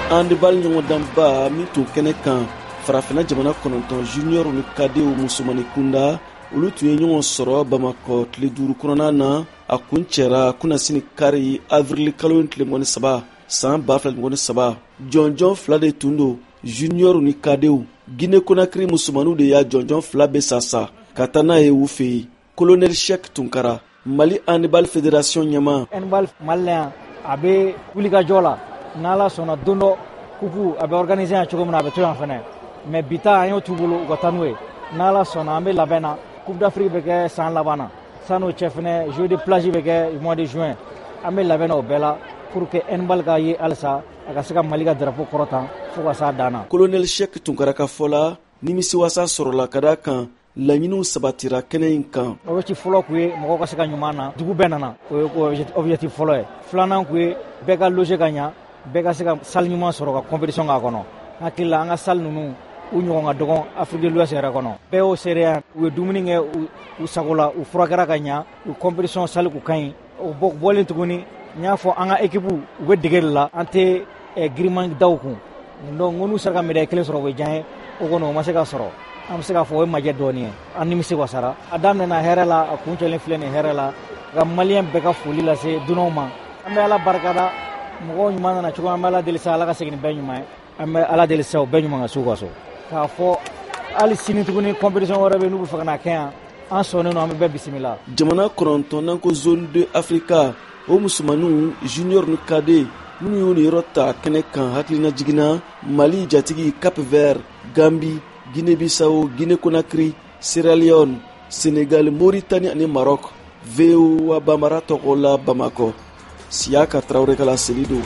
Handball ɲɔgɔndanba min tun kɛnɛ kan farafinna jamana 9 junior ni kadew musomani kunda, olu tun ye ɲɔgɔn sɔrɔ Bamakɔ tile 5 kɔnɔna na. A kuncɛra kunasini kari, avril kalo tile 23, san 2023. Jɔnjɔn 2 de tun don, junior ni kadew. Guinée Conakry musomaniw de y'a jɔnjɔn 2 bɛɛ sasa ka taa n'a ye u fɛ yen. Colonel Sheikh Tunkara, Mali Handball Fédération ɲɛmaa. Handball Mali la yan, a bɛ wulikajɔ la. N'Ala sɔnna, don dɔ coupe a bɛ organiser yan cogo min na, a bɛ to yan fɛnɛ. Mais bi ta, an y'o t'u bolo, u ka taa n'o ye. N'Ala sɔnna, an bɛ labɛn na. Coupe d'Afrique bɛ kɛ san laban na. San'o cɛ fɛnɛ, Jeux de plage bɛ kɛ mois de juin. An bɛ labɛn na o bɛɛ la pour que handball ka ye halisa, a ka se ka Mali ka drapeau kɔrɔtan fo ka s'a dan na. Colonel Sheikh Tunkara ka fɔ la, nimisiwasa sɔrɔla ka da kan laɲiniw sabatira kɛnɛ in kan. Objectif fɔlɔ kun ye mɔgɔw ka se ka ɲuman na, dugu bɛɛ nana, o ye objectif fɔlɔ ye. Filanan kun ye bɛɛ ka loger ka ɲa, bɛɛ ka se ka salle ɲuman sɔrɔ ka compétition k'a kɔnɔ. Hakili la, an ka salle ninnu u ɲɔgɔn ka dɔgɔn Afrique de l'Ouest yɛrɛ kɔnɔ. Bɛɛ y'o seereya. U ye dumuni kɛ u sago la, u furakɛra ka ɲa, u compétition salle kun ka ɲi. O bɔlen tuguni, n y'a fɔ, an ka équipe u bɛ dege de la, an tɛ giriman daw kun. Donc n ko n'u sera ka médaille kelen sɔrɔ, o bɛ diya n ye. O kɔni, o ma se ka sɔrɔ. An bɛ se k'a fɔ o ye majɛ dɔɔni ye. An nimisi wasara. A daminɛna hɛrɛ la, a kuncɛlen filɛ nin hɛrɛ la. Ka Maliyɛn bɛɛ ka foli lase dunanw ma. An bɛ Ala barikada, mɔgɔw ɲuman nana cogo, an bɛ Ala deli sa, Ala ka segin ni bɛɛ ɲuman ye. An bɛ Ala deli sa, o bɛɛ ɲuman ka s'u ka so. K'a fɔ hali sini tuguni, compétition wɛrɛ bɛ, n'u bɛ fɛ ka na kɛ yan, an sɔnnen don, an bɛ bɛɛ bisimila. Jamana 9 ko zone 2 Africa, o musomaninw junior ni cadet minnu y'u niyɔrɔ ta kɛnɛ kan, hakilina jiginna, Mali jatigi, Cap Vert, Gambi, Guinée Bissau, Guinée Conakry, Sierra Leone, Sénégal, Mauritanie ani Maroc. VOA Bambara tɔgɔ la Bamakɔ, Siyaka Tarawele ka laseli don.